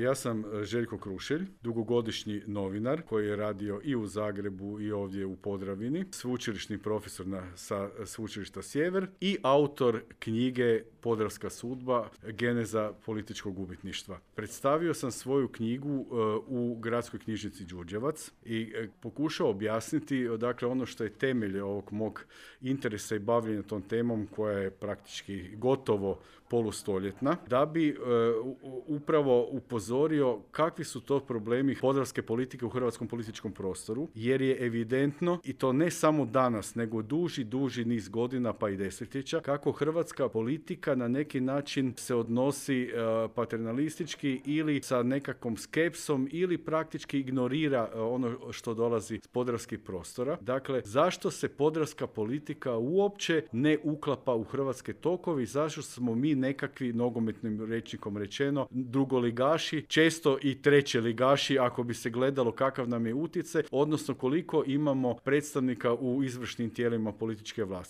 Ja sam Željko Krušelj, dugogodišnji novinar koji je radio i u Zagrebu i ovdje u Podravini, sveučilišni profesor sa Sveučilišta Sjever i autor knjige Podravska sudba, geneza političkog gubitništva. Predstavio sam svoju knjigu u Gradskoj knjižnici Đurđevac i pokušao objasniti, dakle, ono što je temelj ovog mog interesa i bavljenja tom temom koja je praktički gotovo polustoljetna, da bi upravo upozorio kakvi su to problemi podravske politike u hrvatskom političkom prostoru, jer je evidentno, i to ne samo danas, nego duži niz godina pa i desetljeća, kako hrvatska politika na neki način se odnosi paternalistički ili sa nekakvom skepsom ili praktički ignorira ono što dolazi s podravskih prostora. Dakle, zašto se podravska politika uopće ne uklapa u hrvatske tokove i zašto smo mi nekakvi, nogometnim rečnikom rečeno, drugoligaši, često i trećeligaši ako bi se gledalo kakav nam je utjecaj, odnosno koliko imamo predstavnika u izvršnim tijelima političke vlasti.